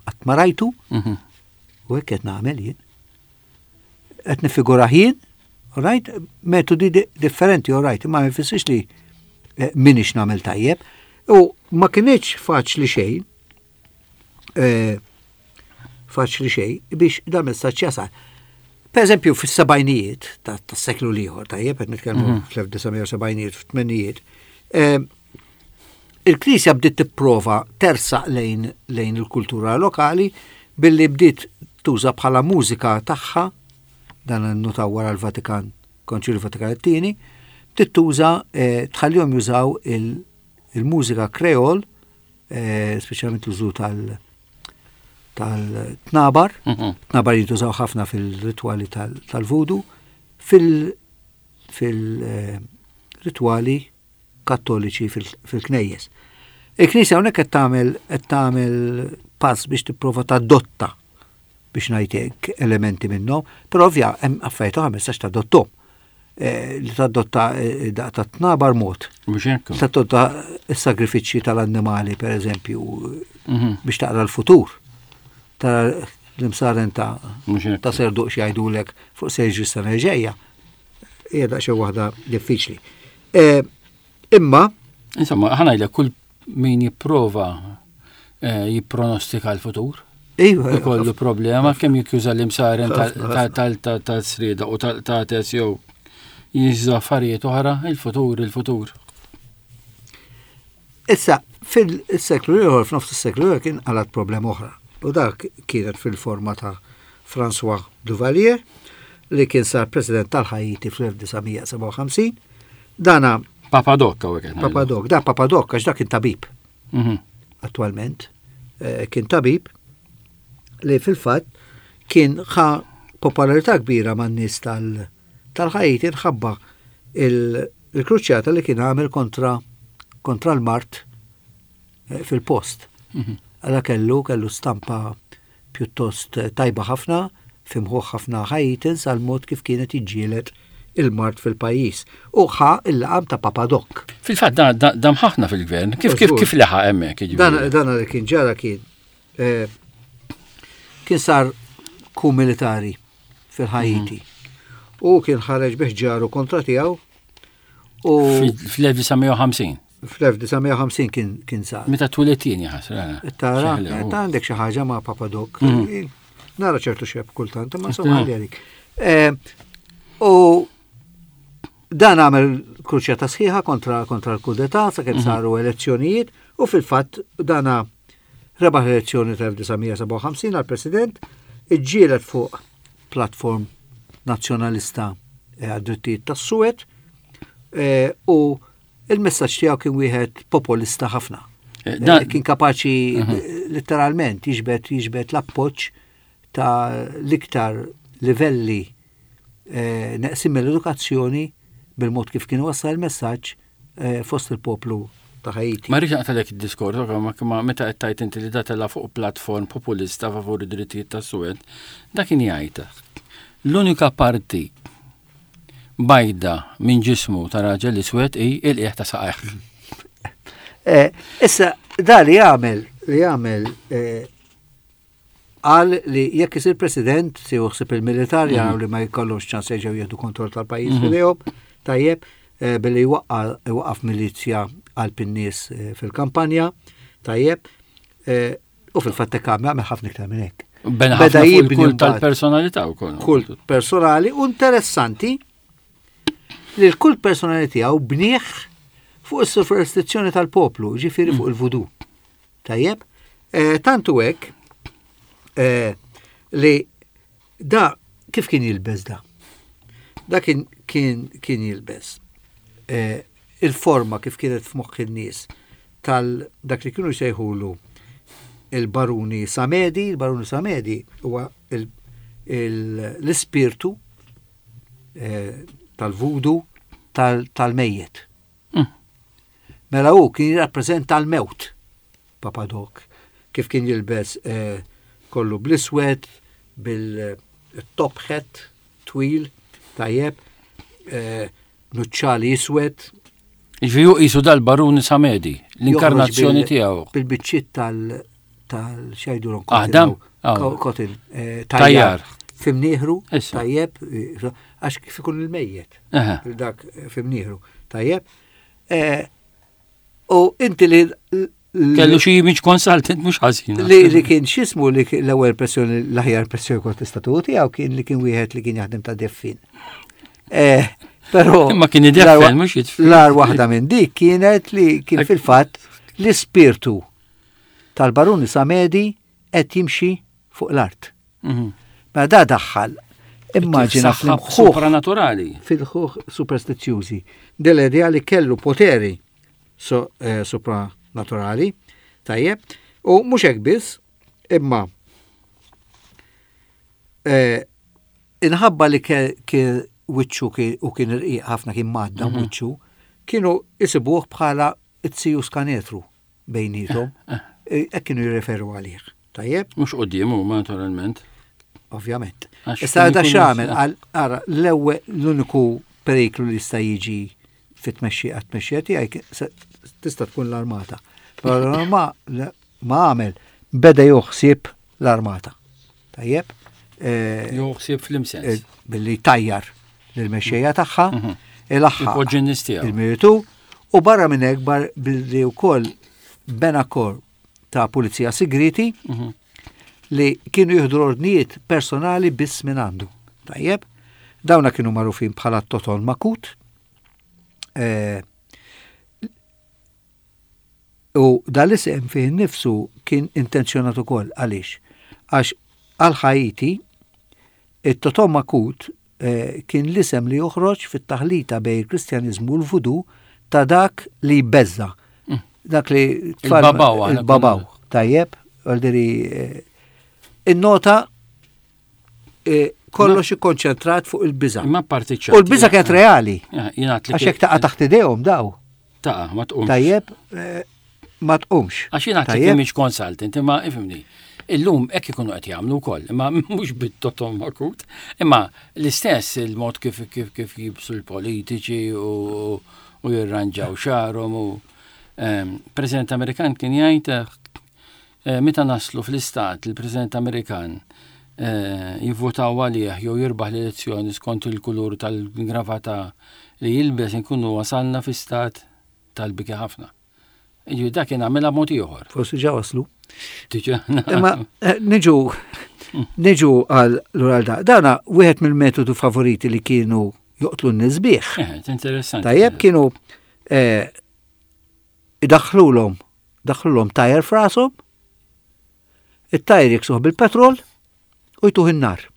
qatt ma rajtu, mhm. u hekk qed nagħmel jien. Qed nifigura jien, right, metodi differenti, all right, ma jfissirx li eh, minix nagħmel tajjeb. U ma kienx faċli xejn eh, faċli xejn biex dan messaġġ jasal. Per eżempju, fis-sebgħinijiet tas-seklu l-ieħor, tajjeb, qed nitkellmu mhm. fl-1970ijiet, fit-tmenijiet, eh, il-Knisja bdiet tipprova tersaq lejn lejn il-kultura lokali billi bdiet tuża bħala mużika tagħha dan nutaw wara l-Vatikan, Konċilju Vatikan it-tieni, bdiet tuża eh, tħallihom jużaw il-mużika kreol eh, speċjalment l-użu tal- tal-tnabar, mhm. tnabar jintużaw ħafna fil-ritwali tal-vudu, fil-ritwali kattoliċi fil-knejjes. Il-Knisja hawnhekk qed tagħmel qed tagħmel pass biex tipprova tadotta biex ngħid hekk elementi minnhom, però ovvja hemm affarijiet oħra ma tistax tadottom. Eh, li tadotta eh, daq ta' tnabar mod. Tadotta s-sagrifiċċji tal-annimali, per eżempju, mhm. biex taqra l-futur. Ta' l-imsaren ta' ta' serduq x'jgħidulek fuq seġri sena ġejja. Hija daqsxejn waħda diffiċli. Eh, imma Insomma, ħanajlek kull min jipprova eh, jippronostika l-futur. Iva. Ikollu problema kemm jikjuża l-imsaren tal-srieda u tal-tates jew jiża affarijiet oħra, il-futur, il-futur. Issa, fil-seklu ieħor, f'nofs is-seklu ieħor kien qalat problema oħra. U dak kienet fil-forma ta' François Duvalier li kien sar president tal-Ħajti fl-1957. Dana Papadok hawnhekk qed ngħidu. Papadok, da Papadok għax dak kien tabib. Mhm. Attwalment eh, kien tabib li fil-fatt kien ħa popolarità kbira man-nies tal-Ħajti nħabba il-kruċjata li kien għamel kontra kontra l-mart eh, fil-post. Mhm. Għala kellu kellu stampa pjuttost tajba ħafna fi mħuħ ħafna Haitans għal mod kif kienet jiġġieled il-mard fil-pajjiż u ħa l-laqam ta' Papa Doc. Fil-fatt dam ħafna fil-gvern, kif kif kif leħaq hemmhekk jiġifieri? Dan li kien ġara kien eh, kien sar ku militari fil-Ħajti. Mhm. U kien ħareġ biex ġaru kontra tiegħu u fl-1950. Fl-1950 kien kien sar. Meta twilet jien jaħasra. Tara, ta' għandek xi ħaġa ma' Papa Doc. Mm. Nara ċertu xeb kultant, ma insomma għalli għalik. Eh, u dan għamel kruċjata sħiħa kontra kontra l-kudeta sakemm mhm. saru elezzjonijiet u fil-fatt dana rebaħ l-elezzjoni tal-1957 għal-president, iġġielet fuq platform nazzjonalista eh, għad-drittijiet tas-suwed eh, u Il-messaġġ tiegħu kien wieħed popolista ħafna. Eh, eh, kien kapaċi mhm. letteralment jiġbed jiġbed l-appoġġ ta' l-iktar livelli eh, neqsim mill-edukazzjoni bil-mod kif kien wassal il-messaġġ. eh, fost il-poplu ta' Haiti. Ma rridx naqtalek id-diskors, ma meta qed tgħid inti li da tela' fuq platform populista favur id-drittijiet tas-suwed, dak kien jgħid l-unika parti bajda minn ġismu ta' raġel iswed hi il-qiegħ ta' saqajh. Eh, issa, da li għamel, li għamel eh, qal li jekk isir president se juħsib il-militar jaraw li ma jkollhomx ċans jerġgħu jieħdu kontroll tal-pajjiż mhm. f'idejhom, tajjeb, eh, billi jwaqqaf milizja qalb in-nies eh, fil-kampanja, tajjeb, eh, u fil-fatt hekk għamel ħafna iktar minn hekk. Beda jibni kult tal-personalità wkoll. Kult personali u interessanti li l-kult personali tiegħu bnieh fuq is-superstizzjoni tal-poplu, ġifieri fuq mm. il-vudu. Tajjeb, eh, tantu hekk eh, li da kif kien jilbes da? Da kien kien kien jilbes eh, il-forma kif kienet f'moħħ in-nies tal dak li kienu jsejħulu il-baruni Samedi, il-baruni Samedi huwa l-ispirtu tal-vudu tal-mejjet. Mela hu kien jirrappreżenta l-mewt, Papa Doc, kif kien jilbes eh, kollu bl-iswed, bil-top hat twil, tajjeb, eh, nuċċali iswed. Ġifieri hu qisu dal-Baruni Samedi, l-inkarnazzjoni tiegħu. Bil-biċċiet tal tal-xajdu Aħdam? Kotin, eh, tajjar. Fimnieħru, tajjeb, għax kif ikun il-mejjet. Dak fimnieħru, tajjeb. Eh, u inti li Kellu xi image consultant mhux ħażin. Li li kien x'ismu li l-ewwel pressjoni l-aħjar pressjoni kont tista' tiegħu kien li kien wieħed li kien jaħdem ta' deffin. Eh, però Ma kien ideffen mhux jitfin. L-ar waħda minn dik kienet li kien fil-fatt l-ispirtu tal-Baruni Samedi qed jimxi fuq l-art. Mhm. Mela da daħħal immaġina fl-imħuħ supranaturali. Fil-ħuħ superstizzjużi. Dell-idea li kellu poteri so, eh, supranaturali, tajjeb, u mhux hekk biss, imma eh, inħabba li kien wiċċu u kien irqiq ħafna kien madda mhm. wiċċu, kienu isibuh bħala it-siju skanetru. bejnietom, eh, eh. hekk kienu jirreferu għalih. Tajjeb? Mhux qudiem huma naturalment. Ovvjament. Issa da x'għamel għal ara l-ewwel l-uniku periklu li jista' jiġi fit-tmexxija għat-tmexxija tiegħi tista' tkun l-armata. Però ma ma għamel beda joħsieb l-armata. Tajjeb? Eh, joħsieb fl-imsens. Eh, billi tajjar lill-mexxejja tagħha, mhm. il-aħħar il-miritu u barra minn hekk bar billi wkoll bena kor ta' pulizija sigriti mhm. li kienu jieħdu l-ordnijiet personali biss minn għandu. Tajjeb, dawna kienu magħrufin bħala Toton Makut. Eh, U dal-isem fih innifsu kien intenzjonat ukoll. Għaliex? Għax għal Ħaiti, it-Totom Makut eh, kien l-isem li joħroġ fit-taħlita bejn il-Kristjaniżmu u l-Vudu ta' dak li jbeżża. Mm. Dak li il-babaw. Il-babaw, tajjeb, għaldiri eh, in-nota eh, kollox ikkonċentrat fuq il-biża. Imma parti U l-biża kienet reali. Għax jekk taqa' taħt idejhom daw. Taqa' ma tqumx. Tajjeb, eh, ma tqumx. Għax jien għad mhix consultant, imma ifhimni. Illum hekk ikunu qed jagħmlu wkoll, imma mhux bit-totom akut, imma l-istess il-mod kif kif kif jibsu l-politiċi u u jirranġaw xarhom u ehm, President Amerikan kien jgħid eh, meta naslu fl-istat il-President Amerikan eh, jivvotaw għalih jew jirbaħ l-elezzjoni skont il-kulur tal-gravata li jilbes inkunu wasalna fi stat tal-biki ħafna. Jiġifieri dak kien għamilha mod ieħor. Forsi ġa waslu. Imma eh, niġu niġu għal l da. Dana wieħed mill-metodu favoriti li kienu joqtlu n-nies bih. Eh, interessanti. Tajjeb kienu eh, idaħħlulhom daħħlulhom tajer f'rashom, it-tajer jiksuh bil-petrol u jtuh in-nar.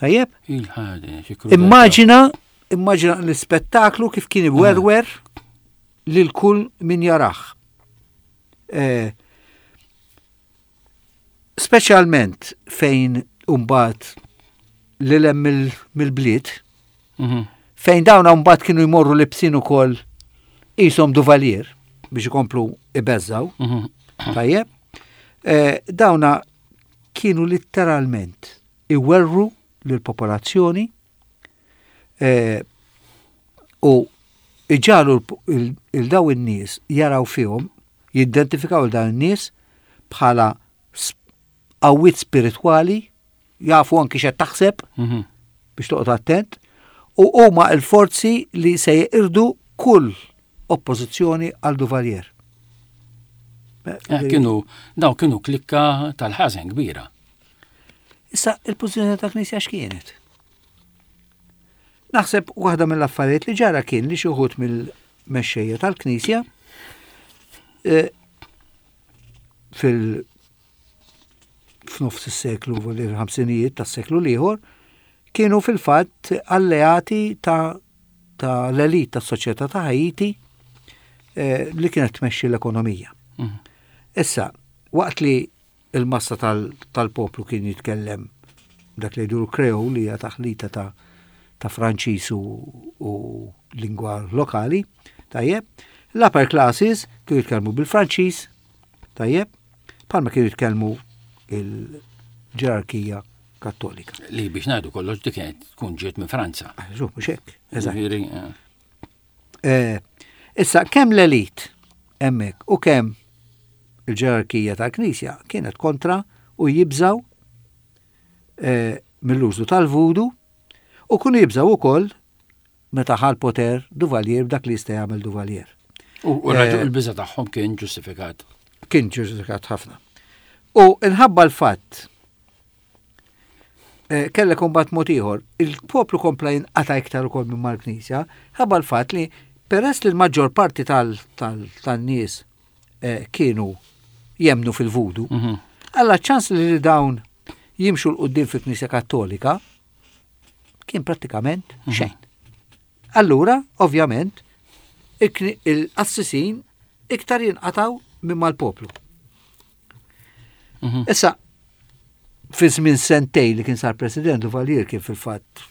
Tajjeb? Immaġina, immaġina l-ispettaklu kif kien iwerwer lil kull min jarah. Eh, speċjalment fejn umbat li lem mill-bliet, mhm. fejn dawn mbagħad kienu jmorru libsin ukoll. Qishom Duvalier biex ikomplu ibeżżaw. Tajjeb. Eh, dawna kienu litteralment iwerru lill-popolazzjoni eh, u iġalu il-daw in-nies jaraw fihom, jidentifikaw il dawn in-nies bħala qawwiet spiritwali, jafu anki x'qed taħseb biex toqgħod attent, u huma l-forzi li se jeqirdu kull oppożizzjoni għal Duvalier. Eh, kienu, daw kienu klikka tal-ħażen kbira. Issa, il-pożizzjoni ta' Knisja x'kienet? Naħseb waħda mill-affarijiet li ġara kien li xi wħud mill-mexxejja tal-Knisja eh, fil f'nofs is-seklu fil-ħamsinijiet tas-seklu l-ieħor kienu fil-fatt alleati ta' ta' l-elit tas-soċjetà ta' Haiti eh, li kienet tmexxi l-ekonomija. Mhm. Issa, waqt li il-massa tal-poplu kien jitkellem dak li jgħidu l-Kreol li hija taħlita ta' ta' Franċiż u, u lingwa lokali, tajjeb, l-upper classes kienu jitkellmu bil-Franċiż, tajjeb, bħalma kienu jitkellmu il-ġerarkija kattolika. Li biex ngħidu kollox dik kienet tkun ġiet minn Franza. Ah, Żu, mhux hekk. Eżatt. Eh. eh, issa kemm l-elit hemmhekk u kemm il-ġerarkija tal-Knisja kienet kontra u jibżaw eh, mill-użu tal-vudu u kunu jibżaw ukoll meta ħa l-poter Duvalier b'dak li jista' jagħmel Duvalier. U eh, l-biża tagħhom kien ġustifikat. Kien ġustifikat ħafna. U inħabba l-fatt eh, kellek imbagħad mod ieħor, il-poplu kompla jinqata' iktar ukoll minn mal-Knisja, ħabba l-fatt li peress li l-maġġor parti tan-nies eh, kienu jemnu fil-vudu, mhm. alla ċans li dawn jimxu l-qoddim fil-Knisja Kattolika kien prattikament mhm. xejn. Allura, ovvjament, il-qassisin iktar jinqataw minn mal-poplu. Mhm. Issa, fi żmien sentej li kien sar president Duvalier kien fil-fatt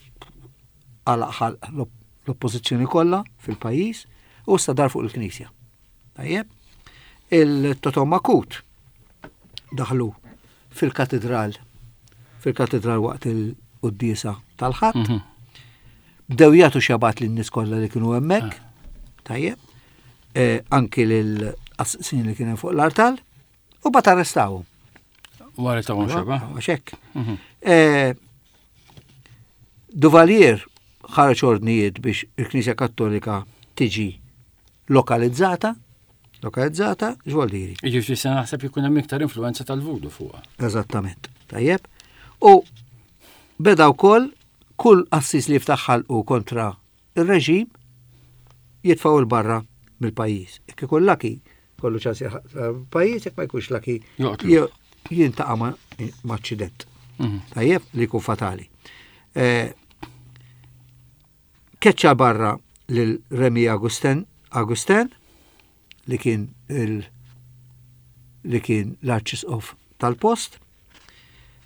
għalaq l-oppożizzjoni kollha fil-pajjiż u issa dar fuq il-Knisja. Tajjeb, il-Totom Makut daħlu fil-katedral fil-katedral waqt il-quddiesa tal-ħadd. Mhm. Bdew jagħtu xabat lin-nies kollha li kienu hemmhekk. Ah. Tajjeb. Eh, anki lil assin li kien fuq l-artal u bat arrestawhom. Wara ta' xeba. Għaxek. Mhm. Eh, Duvalier ħareġ ordnijiet biex il-Knisja Kattolika tiġi lokalizzata, lokalizzata, x'vol diri. Jiġifieri se naħseb jkun hemm iktar influenza tal-vudu fuqha. Eżattament. Tajjeb. U beda wkoll kull qassis li jiftaħ ħalqu kontra ir-reġim jitfgħu 'l barra mill-pajjiż. Jekk ikun laki, kollu ċans pajjiż, jekk ma jkunx laki, jintaqa' ma' aċċident. Mhm. Tajjeb li jkun fatali. Eh, keċċa barra lil Remi Augustin, Augustin li kien il li kien l-arċisqof tal-post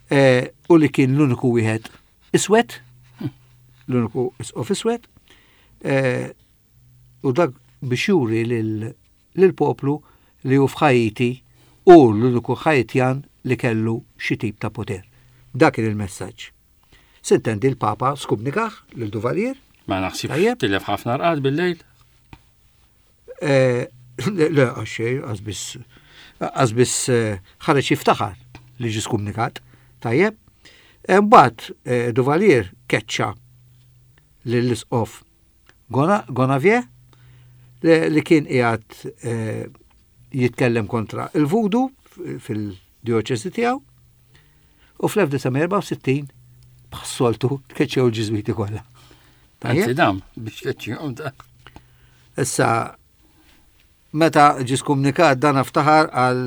eh, u li kien l-uniku wieħed iswed, l-uniku isqof iswed, eh, u dak biex juri lill-poplu li hu f'Ħaiti u l-uniku Ħaitjan li kellu xi tip ta' poter. Dak kien il-messaġġ. Sintendi l-Papa skumnikah lil Duvalier. Ma naħsibx tilef ħafna rqad bil-lejl. Eh, le, għaxxej, għazbis eh, ħareġ jiftaħar li ġi skumnikat. Tajjeb. Mbagħad eh, Duvalier keċċa lill-isqof Gonavier li kien qiegħed jitkellem kontra il-vudu fil-dioċesi tiegħu u fl-1964 bħas-soltu tkeċċew il-Ġiżwiti kollha. Anzi dam biex tkeċċihom da. Issa meta ġie skumnikat dan ftaħar għal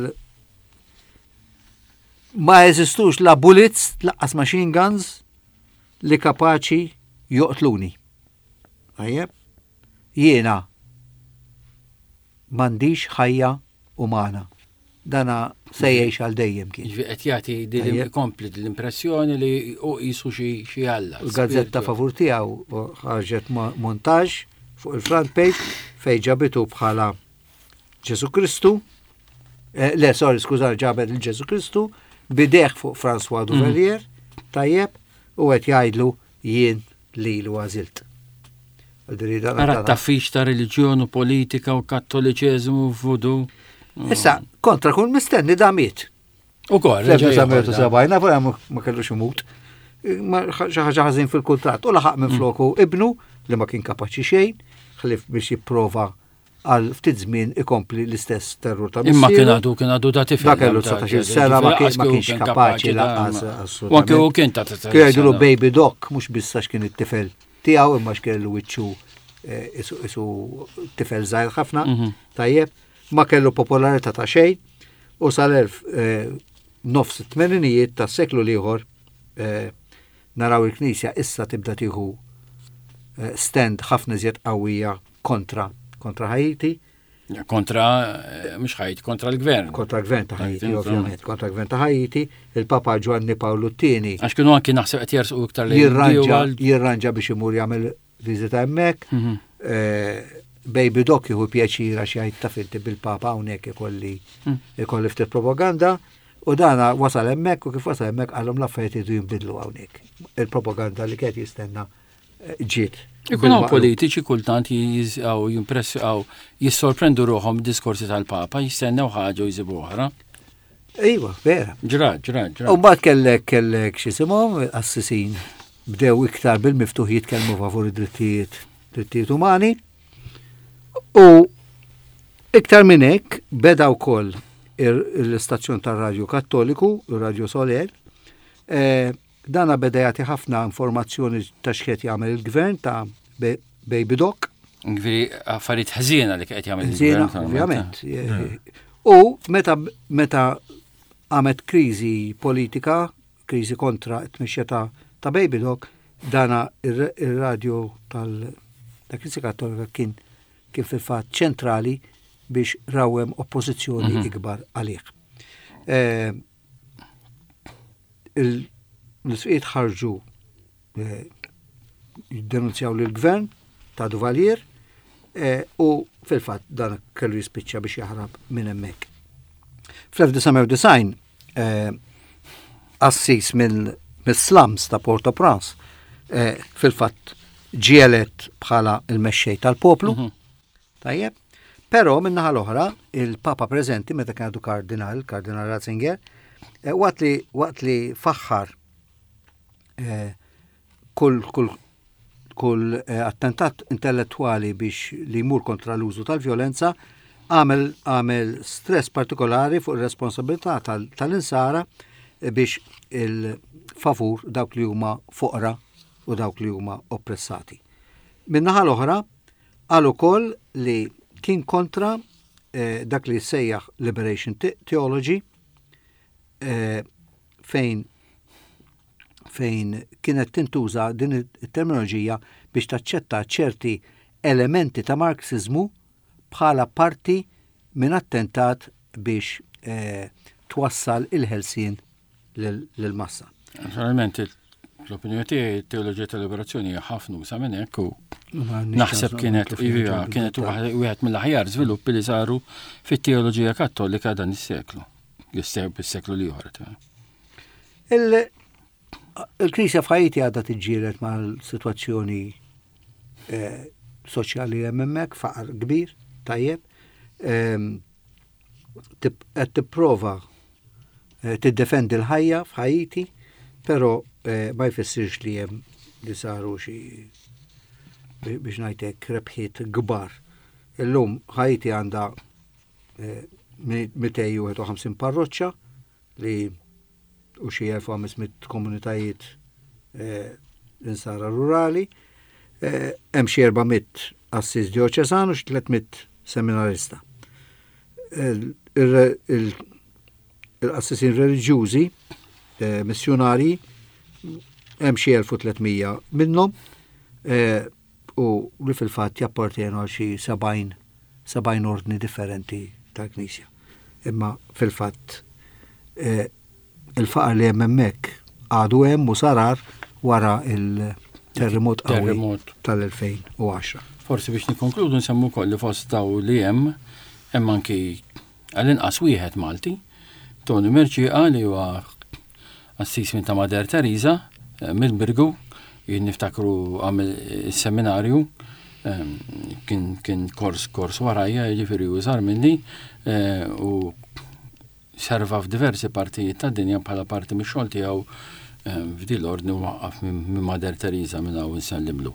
ma jeżistux la bullets laqqas machine guns li kapaċi joqtluni. Tajjeb? Jiena m'għandix ħajja umana. Dana se jgħix għal dejjem kien. Ġifieri qed jagħti din ikompli din l-impressjoni li hu qisu xi xi alla. Il-gazzetta favur tiegħu ħarġet montaġġ fuq il-front page fejn ġabitu bħala Ġesu Kristu, eh, le, sorry, skużar, ġabet il-Ġesu Kristu, bideħ fuq François Duvalier, tajjeb, u qed jgħidlu jien lilu għażilt. Ara t-taffix ta' reliġjon u politika u kattoliċeżmu u vudu. Issa, kontra kull mistenni da miet. U kol, Fl-1970, nafu ma kellux imut. Xi ħaġa ħażin fil-kuntratt u laħaq minn floku ibnu li ma kien kapaċi xejn, ħlif biex jipprova għal ftit żmien ikompli l-istess terrur ta' Imma kien għadu kien għadu da tifel. Da kellu 19 sena ma kienx kapaċi lanqas assolutament. U anke hu kien ta' Kien jgħidulu baby doc mhux biss għax kien it-tifel tiegħu imma x'kellu wiċċu eh, isu tifel żgħir ħafna, mhm. tajjeb, ma kellu popolarità ta' xejn u sal-elf eh, nofs it-tmeninijiet tas-seklu l-ieħor eh, naraw il-Knisja issa tibda tieħu stand ħafna iżjed qawwija kontra kontra Haiti. Kontra, eh, mhux Haiti, kontra l-gvern. Kontra l-gvern ta' Haiti, ovvjament, kontra l-gvern ta' Haiti, il-Papa Ġwanni Pawlu II. Għax kienu anki naħseb qed jersqu iktar li jirranġa jirranġa biex imur jagħmel viżita hemmhekk. Mhm. Eh, Baby Doc jieħu pjaċir għax jgħid ta' finti bil-Papa hawnhekk ikolli mm. ikolli ftit propaganda. U dana wasal hemmhekk u kif wasal hemmhekk qalhom l-affarijiet iridu jinbidlu hawnhekk. Il-propaganda li kienet jistenna eh, ġiet. Ikun hawn politiċi kultant jizqaw, jimpressjaw, jissorprendu ruħhom diskorsi tal-Papa, jistennew ħaġa u jżibu oħra. Iva, vera. Ġra, ġra, ġra. U mbagħad kellek kellek x'isimhom assisin bdew iktar bil-miftuħ jitkellmu favur id-drittijiet drittijiet umani. U iktar minn hekk beda wkoll l-istazzjon tar-Radju Kattoliku, ir-Radju Soler, eh, dana beda jagħti ħafna informazzjoni ta' x'qed jagħmel il-gvern ta' Baby Doc. Ġifieri affarijiet ħżiena li qed jagħmel il-gvern. Ovvjament. Eh. U meta meta għamet kriżi politika kriżi kontra t-tmexxija ta' ta' Baby Doc, dana ir-radju tal ta' Knisja Kattolika kien kien fil-fatt ċentrali biex rawwem oppożizzjoni mhm. ikbar għalih. Eh, l-isqiet ħarġu eh, jiddenunzjaw lill-gvern ta' Duvalier eh, u fil-fatt dan kellu jispiċċa biex jaħrab minn hemmhekk. Fl-1990 eh, qassis mill-slums ta' Port-au-Prince eh, fil-fatt ġie elett bħala il-mexxej tal-poplu. Mhm. Tajjeb. Però min-naħa l-oħra, il-Papa preżenti meta kien għadu kardinal, kardinal Ratzinger, eh, waqt li waqt li faħħar kull kull kull eh, attentat intellettwali biex li jmur kontra l-użu tal-vjolenza għamel għamel stress partikolari fuq ir-responsabilità tal-insara eh, biex il-favur dawk li huma foqra u dawk li huma oppressati. Min-naħa l-oħra, qal ukoll li kien kontra eh, dak li sejjaħ liberation theology eh, fejn fejn kienet tintuża din it-terminoloġija biex taċċetta ċerti elementi ta' Marxiżmu bħala parti minn attentat biex eh, twassal il-ħelsien lill-massa. Naturalment, l-opinjoni tiegħi teoloġija tal-liberazzjoni hija ħafna usa minn hekk u naħseb kienet iva, kienet wieħed mill-aħjar żviluppi li saru fit-teoloġija kattolika dan is-seklu, is-seklu li ieħor. Il-Knisja f'Ħajti għadha tiġġieled mal-sitwazzjoni eh, soċjali hemm hemmhekk, faqar kbir, tajjeb. Ehm, qed tipprova eh, tiddefendi l-ħajja f'Ħajti, però eh, ma jfissirx li hemm li saru xi biex ngħidlek rebħiet kbar. Illum Ħajti għandha 251 parroċċa li u xi 1500 komunitajiet eh, insara rurali, eh, hemm xi 400 assis dioċesan u xi 300 seminarista. Il-qassisin reliġjużi, eh, missjonarji, hemm xi 1300 minnhom u li fil-fatt jappartjenu għal xi 70 70 ordni differenti tal-Knisja. Imma fil-fatt eh, il-faqar li hemm hemmhekk għadu hemm u sarar wara il-terremot qawwi tal-2010. Forsi biex nikkonkludu nsemmu wkoll li fost daw li hemm hemm anki għall-inqas wieħed Malti, Tony Mercieca li huwa qassis minn ta' Mader Teresa eh, mill-Birgu, jien niftakru għamel is-seminarju eh, kien kien kors kors warajja, jiġifieri u żgħar minni eh, u Serva f'diversi partijiet tad-dinja bħala parti mix-xogħol tiegħu f'din l-ordni waqqaf minn Mader Teresa minn hawn insellimlu.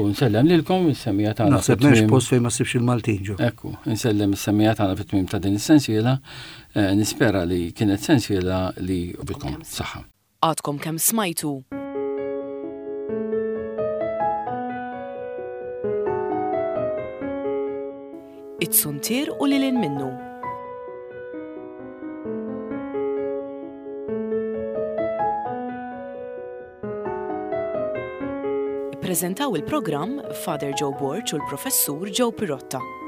U nsellem lilkom is-semmiegħa tagħna. Naħseb m'hemmx post fejn ma ssibx il-Maltin ġo. Ekku, insellem is-semmiegħa tagħna fit-tmiem ta' din is-sensiela. Nispera li kienet sensiela li għobitkom. Saħħa. Għadkom kemm smajtu. It-Suntier u lil hinn minnu. Ippreżentaw il-programm Father Joe Borg u l-Professur Joe Pirotta.